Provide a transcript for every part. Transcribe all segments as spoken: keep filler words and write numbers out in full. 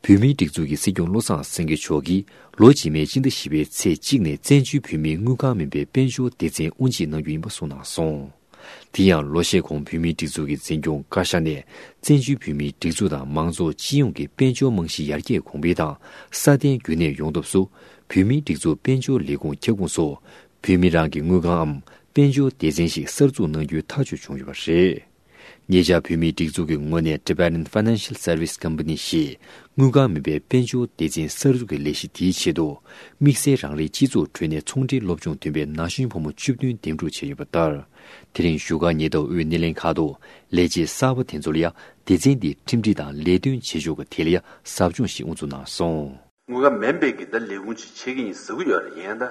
བོད་མིའི་སྒྲིག་འཛུགས་ཀྱི་སྲིད་སྐྱོང་བློ་བཟང་སེང་གེ་མཆོག་གིས་ལོ་རྗེས་མའི་སྤྱི་ཟླ་བཞི་པའི་ཚེས་གཅིག་ནས་བཙན་བྱོལ་བོད་མིའི་དངུལ་ཁང་མིན་པའི་དཔལ་འབྱོར་སྡེ་ཚན་དབུ་འབྱེད་གནང་རྒྱུ་ཡིན་པ་གསུངས་གནང་སོང་། དེ་ཡང་ལོ་ཤས་གོང་བོད་མིའི་སྒྲིག་འཛུགས་ཀྱི་འཛིན་སྐྱོང་བཀའ་ཤག་ནས་བཙན་བྱོལ་བོད་མིའི་སྒྲིག་འཛུགས་དང་མང་ཚོགས་སྤྱི་ཡོངས་ཀྱི་དཔལ་འབྱོར་རྨང་གཞི་ཡར་རྒྱས་གོང་འཕེལ་དང་སྲ་བརྟན་རྒྱུན་གནས་ཡོང་ཐབས་སུ་བོད་མིའི་སྒྲིག་འཛུགས་དཔལ་འབྱོར་ལས་ཁུངས་ཁྱབ་ཁོངས་སུ་བོད་མི་རང་གི་དངུལ་ཁང་འམ་དཔལ་འབྱོར་སྡེ་ཚན་ཞིག་གསར་འཛུགས་གནང་རྒྱུའི་ཐག་གཅོད་བྱུང་ཡོད་པ་རེད། ཉེ་ཆར་བོད་མིའི་སྒྲིག་འཛུགས་ཀྱི་ངོས་ནས་Tibetan Financial Service Company ཞེས་དངུལ་ཁང་མིན་པའི་དཔལ་འབྱོར་སྡེ་ཚན་གསར་འཛུགས་ཀྱི་ལས་གཞི་དེའི་ཆེད་དུ། དམིགས་བསལ་རང་རེའི་སྤྱི་ཚོགས་ཁྲོད་ནས་ཚོང་འབྲེལ་སློབ་སྦྱོང་ཐོན་པའི་ན་གཞོན་ཕོ་མོ་བཅུ་བདུན་འདེམས་སྒྲུག་བྱས་ཡོད་པ་ལྟར། དེ་རིང་བཞུགས་སྒར་ཉེན་རྟོག་ཨུའི་སྣེ་ལེན་ཁག་ཏུ་ལས་བྱེད་གསར་པ་དེ་ཚོ་ལ་ཡང་སྡེ་ཚན་འདིའི་ཁྲིམས་སྒྲིག་དང་ལས་དོན་བྱེད་ཕྱོགས་ཀྱི་ཐད་ལ་ཡང་ཟབ་སྦྱོང་ཞིག་དབུ་འཛུགས་གནང་སོང་། དངུལ་ཁང་མིན་པའི་གི་ད་ལས་ཁུངས་ཅིག་ཆགས་ཀྱི་ཡིན་ཟེར་གྱི་ཡོད་རེད། ཡིན་ད་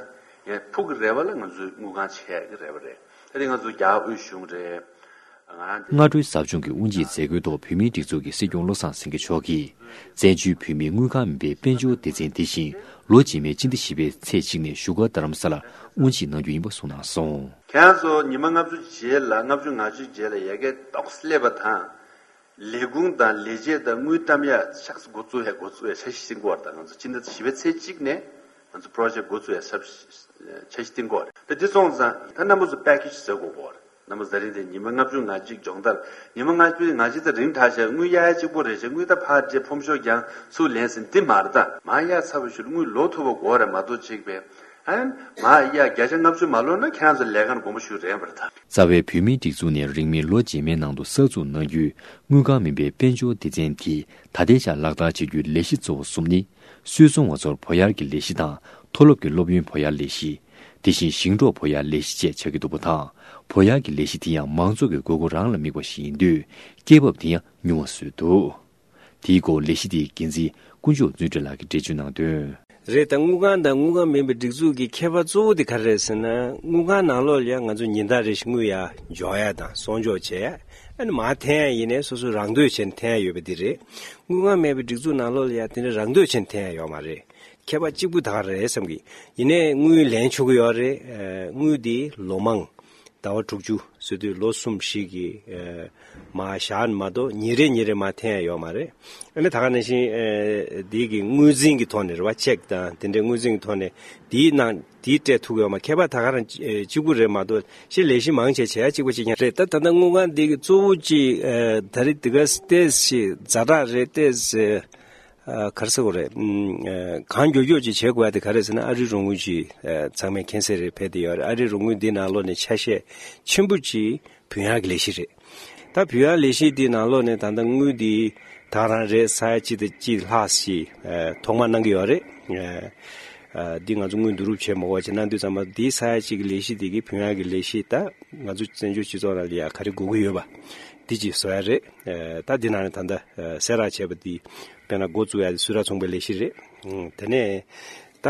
ཡང་ཕུགས་ཀྱི་རེ་བ་ལ་ང་ཚོའི་དངུལ་ཁང་ཆགས་ཀྱི་རེ་བ་རེད། ད་དེ་ང་ཚོ་རྒྱ་དབུས་གཞུང་རེད། ང་རང་འདི། སྔ་དྲོའི་ཟབ་སྦྱོང་གི་དབུ་འབྱེད་མཛད་སྒོའི་ཐོག་བོད་མིའི་སྒྲིག་འཛུགས་ཀྱི་སྲིད་སྐྱོང་བློ་བཟང་སེང་གེ་མཆོག་གིས། བཙན་བྱོལ་བོད་མིའི་དངུལ་ཁང་མིན་པའི་དཔལ་འབྱོར་སྡེ་ཚན་འདི་བཞིན་ལོ་རྗེས་མའི་སྤྱི་ཟླ་བཞི་པའི་ཚེས་གཅིག་ནས་བཞུགས་སྒར་རྡ་རམ་ས་ལར་དབུ་འབྱེད་གནང་རྒྱུ་ཡིན་པ་གསུངས་གནང་སོང་། ཁྱེད་རང་ཚོ་ཉི་མ་ལྔ་བཅུ་རྗེས་ལ་ལྔ་བཅུ་ང་གཅིག་རྗེས་ལ་ཡ་གི་ཏོག་ཙམ་སླེབས་པ་དང་། ལས་ཁུངས་དང་ལས་བྱེད་དང་དངུལ་བཏབ་ཡ་ཤག་འགོ་བཙུགས་ཡ་འགོ་བཙུགས་ཡ་འཆར་གཞི་འགོ་བར་དང་ང་ཚོ་སྤྱི་ཟླ་བཞི་པའི་ཚེས་གཅིག་ནས་ང་ཚོ་པྲོ་ཇེག་འགོ་བཙུགས་ཡ་འཆར་གཞི་འགོ་བར་ད་འདི་སོང་ཙང་ད་རྣམ་པ་ཚོ་པེ་ཀེ་ཇི་བཟོ་དགོས་པ་རེད། རྣམ་པ་ཚོ་ད་རིང་དེ་ཉི་མ་ལྔ་བཅུ་ང་གཅིག་སྦྱོང་བརྡར་ཉི་མ་ལྔ་བཅུ་ང་གཅིག་ད་རིང་དྲག་བྱས་དངུལ་གཡར་ཡ་གཅིག་པོ་རེད་བྱས་དངུལ་ད་ཕར་རྗེས་ཕོམ་ཤོག་ཀྱང་ཚུར་ལེན་ཟིན་འདི་མ་རེད་ད་མ་གཡར་ཚར་བའི་ཤུལ་དངུལ་ལོག་ཐུབ་པ་དགོས་རེད་མ་གཏོགས་གཅིག་པས། ཨན། མ་ཡ་བརྒྱ་ཆ་ལྔ་བཅུ་མ་ལོན་ན་ཁྱེད་རང་ཚོ་ལས་ཀར་དགོངས་པ་ཞུ་རན་པར་ཐལ། རྩ་བའི་བོད་མིའི་སྒྲིག་འཛུགས་ནས་རིང་མིན་ལོ་རྗེས་མའི་ནང་དུ་གསར་འཛུགས་གནང་རྒྱུའི་དངུལ་ཁང་མིན་པའི་དཔལ་འབྱོར་སྡེ་ཚན་དེ་ད་ལྟའི་ཆར་ལག་བསྟར་བྱེད་རྒྱུའི་ལས་གཞི་གཙོ་བོ་གསུམ་ནི། སུད་ཚོང་བ་ཚོར་བོད་གཡར་གྱི་ལས་གཞི་དང་མཐོ་སློབ་ཀྱི་སློབ་ཡོན་བོད་གཡར་ལས་གཞི། དེ་བཞིན་ཞིང་འབྲོག་བོད་གཡར་ལས་གཞི་བཅས་ཆགས་ཀྱི་འདུག་པ་དང་། བོད་གཡར་གྱི་ལས་གཞི་དེ་ཡང་མང་ཚོགས་ཀྱི་དགོས་མཁོ་རང་ལ་དམིགས་པ་ཞིག་ཡིན་དུས་སྐྱེད་འབབ་དེ་ཡང་ཉུང་བ་བཟོས་འདུག་དེའི་སྐོར་ལས་གཞི་དེའི་འགན་འཛིན་དཀོན་མཆོག་བརྩོན་འགྲུས་ལགས་ཀྱིས་འགྲེལ་བརྗོད་གནང་དོན། རེད་ད་དངུལ་ཁང་དང་དངུལ་ཁང་མིན་པའི་སྒྲིག་འཛུགས་ཀྱི་ཁྱད་པར་གཙོ་བོ་དེ་ག་རེ་རེད་ཟེར་ན་དངུལ་ཁང་ནང་ལོགས་ལ་ཡང་ང་ཚོ་ཉིན་ལྟར་རེ་བཞིན་དངུལ་ཡར་འཇོག་ཡ་དང་གསོག་འཇོག་བྱས་ཡ་ཨ་ནི་མར་འཐེན་ཡ་ཡིན་ནའི་སོ་སོ་རང་འདོད་བྱས་ནས་འཐེན་ཡ་ཡོད་པ་འདི་རེད། དངུལ་ཁང་མེད་པའི་སྒྲིག་འཛུགས་ནང་ལོགས་ལ་ཡང་དེ་འདྲ་རང་འདོད་བྱས་ནས་འཐེན་ཡ་ཡོད་མ་རེད། ཁྱད་པར་གཅིག་པུ་ད་ག་རེད་བསམ་གི། ཡིན་ནའི་དངུལ་ལེན་ཆོག་གི་ཡོད་རེད། དངུལ་འདི་ལོ་མང་ཟླ་བ་དྲུག་ཅུ་ཟེར་དུས་ལོ་གསུམ་བཞི་གི་མར་བཞག་མ་གཏོགས་ཉིན་རེ་ཉིན་རེ་མར་འཐེན་ཡ་ཡོད་མ་རེད། ཨ་ནི་ད་ག་ནང་བཞིན་འདི་གི་དངུལ་འཛིན་གྱི་ཐོག་ནས་རེད་བ་ཅེག་དང་དེ་འདྲའི་དངུལ་འཛིན་གྱི་ཐོག་ནས་འདིའི་ནང་འདིའི་སྤྲད་ཐུབ་ཀྱི་ཡོད་མ་ཁྱད་པར་ད་ག་རང་གཅིག་པུ་རེད་མ་གཏོགས་ཤི་ལས་གཞི་མང་ཆེ་བྱེད་ཡ་གཅིག་པ་གཅིག་རྐྱང་རེད། ད་ད་ལྟ་དངུལ་ཁང་འདི་གི་གཙོ་བོ་གཅིག་ད་རེས་འདི་ག་ཏེས་ཤི་ཛ་དྲག་རེད་ཏེས། ཨ་ག་རེ་ཟེར་དགོས་རེད། ཨ་གང་མགྱོགས་མགྱོགས་ཅིག་བྱེད་དགོས་ཡ་དེ་ག་རེ་ཟེར་ན་ཨ་རིའི་རོགས་དངུལ་ཅིག་ཨ་ཚང་མས་མཁྱེན་གསལ་རེད་ཕེབས་བསྡད་ཡོད་རེད། ཨ་རིའི་རོགས་དངུལ་འདི་ནང་ལོགས་ནས་ཆ་ཤས་ཆེན་པོ་ཅིག་བུད་ཡག་གི་ལས་གཞི་རེད། ད་བུད་ཡག་ལས་གཞི་འདི་ནང་ལོགས་ནས་ད་ལྟ་དངུལ་འདི་ད་རང་རེད་ས་ཡ་གཅིག་དང་གཅིག་ལྷག་ཅིག་ཨ་ཐོག་མར་གནང་གི་ཡོད་རེད། ཨ་འདི་ང་ཚོ་དངུལ་བསྡུ་རུབ་བྱེད་མ་དགོས་ཅིག་གནང་དུས་ཙམ་པ་འདི་ས་ཡ་གཅིག་གི་ལས་གཞི་འདི་གི་བུད་ཡག་གི་ལས་གཞི་ད་ང་ཚོ་བཙན་བྱོལ་སྤྱི་ཚོགས་ནང་ལ་ཡ་ག་རེ་དགོས་ཀྱི་ཡོད་པ་འདི་ཅིག་བཟོ་ཡ་རེད། ཨ་ད་འདི་ནང་ནས་ད་ལྟ་ཨ་གསལ་བསྒྲགས་བྱས་པ་འདི་དཔེར་ན་འགོ་བཙུགས་ཡ་དེ་སུད་ཊར་ཚོང་པའི་ལས་གཞི་རེད། ཨང་དེ་ནས་ད་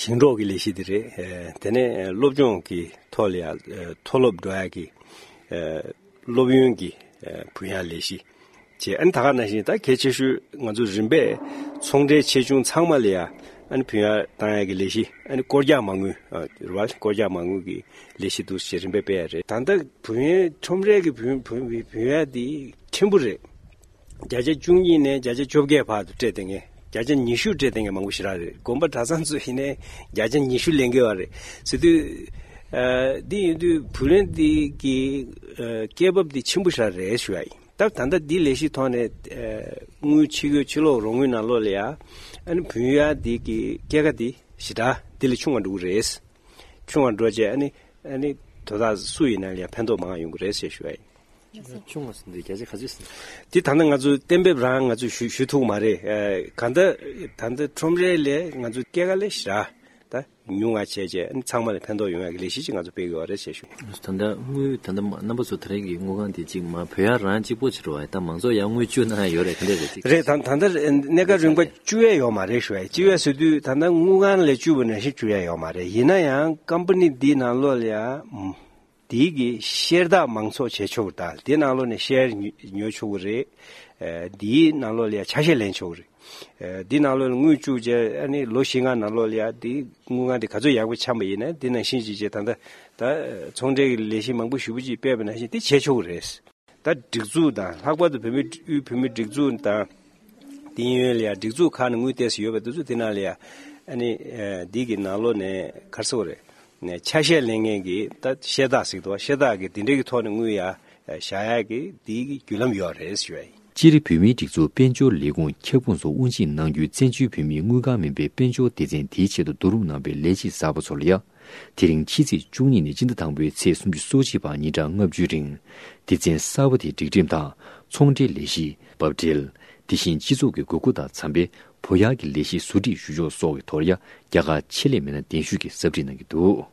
ཞིང་འབྲོག་གི་ལས་གཞི་འདི་རེད། ཨ་དེ་ནས་ཨ་སློབ་སྦྱོང་གི་ཐོག་ལ་ཡ་ཨ་མཐོ་སློབ་འགྲོ་ཡ་གི་ཨ་སློབ་ཡོན་གྱི་ཨ་བུད་ཡག་ལས་གཞི་བྱས། ཨ་ནི་ད་ག་ནང་བཞིན་ད་གལ་ཆེ་ཤོས་ང་ཚོ་རིམ་པས་ཚོང་འབྲེལ་ཆེ་ཆུང་ཚང་མ་ལ་ཡ་ཨ་ནི་བུད་ཡག་བཏང་ཡ་གི་ལས་གཞི་ཨ་ནི་སྐོར་རྒྱག་མ་དངུལ་ཨ་རེད་བ་སྐོར་རྒྱག་མ་དངུལ་གྱི་ལས་གཞི་འདུག་ཅེས་རིམ་པས་སྤེལ་ཡ་རེད། ད་ལྟ་བུད་ཡོན་ཁྲོམ་རའི་གི་བུད་བུད་བུད་ཡོན་དེ་ཕྲན་བུ་རེད། བརྒྱ་ཆ་བཅུ་གཉིས་ནས་བརྒྱ་ཆ་བཅོ་བརྒྱད་བར་དུ་སྤྲད་བསྡད་མཁན་བརྒྱ་ཆ་ཉི་ཤུ་སྤྲད་བསྡད་མཁན་མང་པོ་ཞེ་དྲག་རེད། དགོན་པ་གྲྭ་ཚང་ཚོ་ཡིན་ནའི་བརྒྱ་ཆ་ཉི་ཤུ་ལེན་གྱི་ཡོད་རེད་ཟེར་དུས། ཨ་འདི་ཡིན་དུས་བུ་ལོན་འདི་གི་ཨ་སྐྱེད་འབབ་འདི་ཆེན་པོ་ཞེ་དྲག་རེད་ཞུ་ཡ་ཡིན། ད་ད་ལྟ་འདི་ལས་གཞི་ཐོག་ནས་ཨ་དངུལ་ཕྱི་སྐྱོད་ཕྱི་ལོགས་རོགས་དངུལ་ནང་ལོགས་ལ་ཡ་ཨ་ནི་བུད་ཡོན་འདི་གི་སྐྱེད་ཀ་འདི་ཞེ་དྲག་འདི་ལས་ཆུང་བ་འགྲོ་གི་རེད། ཆུང་བ་འགྲོ་བྱས་ཨ་ནི་ཨ་ནི་དོ་བདག་སུ་ཡིན་ན་ལ་ཡང་ཕན་ཐོགས་མང་བ་ཡོང་གི་རེད་ཞེས་ཞུ་བ་ཡིན། ཆུང་བ་ཟེར་འདི་བརྒྱ་ཆ་ག་ཚོད་ཟེར། འདི་ད་ལྟ་ང་ཚོ་གཏན་འབེབས་རང་ང་ཚོས་ཞུ་ཞུ་ཐུབ་མ་རེད། ཨ་གང་ལྟར་ད་ལྟ་ཁྲོམ་རའི་ལས་ང་ཚོ་སྐྱེད་ཀ་ལས་ཞེ་དྲག་ད་ཉུང་བ་བྱས་བྱས་ཨ་ནི་ཚང་མ་ལ་ཕན་ཐོགས་ཡོང་ཡག་གི་ལས་གཞི་ཅིག་ང་ཚོ་སྤེལ་གི་ཡོད་རེད་ཞེས་ཞུ། ད་ལྟ་དངུལ་ད་ལྟ་མ་རྣམ་པ་ཚོ་ད་རེས་ཀྱི་དངུལ་ཁང་དེ་གཅིག་མ་བོད་ཡ་རང་གཅིག་པོ་ཕྱིར་རོ་ད་མང་ཚོགས་ཡ་དངུལ་བཅུག་གནང་ཡ་ཡོད་རེད་ག་འདྲ་རེད་ཅིག་རེད། ད་ད་ལྟ་གནས་སྐབས་རིམ་པ་བཅུག་ཡ་ཡོད་མ་རེད་ཞུ་ཡ་བཅུག་ཡ་ཟེར་དུས་ད་ལྟ་དངུལ་ཁང་ལས་བཅུག་པ་ནང་བཞིན་བཅུག་ཡ་ཡོད་མ་རེད། ཡིན་ན་ཡང་ཀམ་པ་ནི་འདིའི་ནང་ལོགས་ལ་ཡ་འདིའི་གི་ཤེར་བདག་མང་ཚོགས་བྱེད་ཆོག་གི་ད་འདིའི་ནང་ལོགས་ནས་ཤེར་ཉོ་ཉོ་ཆོག་གི་རེད། ཨ་འདིའི་ནང་ལོགས་ལ་ཡ་ཆ་ཤས་ལེན་ཆོག་གི་རེད། ཨ་འདིའི་ནང་ལོགས་ལ་དངུལ་བཅུག་རྗེས་ཨ་ནི་ལོ་བཞི་ལྔ་ནང་ལོགས་ལ་ཡ་འདི་དངུལ་ཁང་འདི་ག་ཚོད་ཡག་པོ་འཆམ་པ་ཡིན་ན་འདི་ནང་བཞིན་ཅིག་བྱས་ད་ལྟ་ད་ཚོང་འབྲེལ་གྱི་ལས་གཞི་མང་པོ་ཞེ་པོ་ཅིག་སྤེལ་བ་ནང་བཞིན་འདི་བྱེད་ཆོག་གི་རེད། ད་སྒྲིག་འཛུགས་དང་ལྷག་པར་དུ་བོད་མི་དབུས་བོད་མིའི་སྒྲིག་འཛུགས་དང་ ཏིང་ཡོན་ལ་ཡ་སྒྲིག་འཛུགས་ཁག་ནས་དངུལ་ཏོག་ཙམ་ཡོད་པ་དེ་ཚོ་དེ་ནང་ལ་ཡ་ཨ་ནི་འདི་གི་ནང་ལོགས་ནས་ག་རེ་ཟེར་དགོས་རེད། ནས་ཆ་ཤས་ལེན་མཁན་གྱི་ད་ཤེས་རྟགས་ཟེར་གྱི་འདུག་ཤེས་རྟགས་ཀྱི་དེ་འདྲའི་གི་ཐོག་ནས་དངུལ་ཡ་བཞག་ཡག་གི་དེའི་གི་བརྒྱུད་ལམ་ཡོད་རེད་ཞུ་ཡ་ཡིན། སྤྱིར་བོད་མིའི་སྒྲིག་འཛུགས་དཔལ་འབྱོར་ལས་ཁུངས་ཁྱབ་ཁོངས་སུ་དབུ་འབྱེད་གནང་རྒྱུའི་བཙན་བྱོལ་བོད་མིའི་དངུལ་ཁང་མིན་པའི་དཔལ་འབྱོར་སྡེ་ཚན་དེའི་ཆེད་དུ་བསྡུ་རུབ་གནང་བའི་ལས་བྱེད་གསར་པ་ཚོ་ལ་ཡ། དེ་རིང་ཕྱི་ཚེས་བཅུ་གཉིས་ནས་སྤྱི་ཟླ་དང་པོའི་ཚེས་སུམ་ཅུ་སོ་གཅིག་བར་ཉིན་གྲངས་ལྔ་བཅུའི་རིང་། སྡེ་ཚན་གསར་པ་དེའི་སྒྲིག་ཁྲིམས་དང་ཚོང་འབྲེལ་ལས་གཞི། འབབ་འབྲེལ། དེ་བཞིན་སྤྱི་ཚོགས་ཀྱི་དགོས་མཁོ་དང་འཚམ་པའི་བོད་ཡར་གྱི་ལས་གཞི་བཟོ་སྒྲིག་ཞུ་ཕྱོགས་སོགས་ཀྱི་ཐོག་ཡ་རྒྱ་གར་ཆེད་ལས་མི་སྣ་གདན་ཞུས་ཀྱིས་ཟབ་ཁྲིད་གནང་གི་འདུག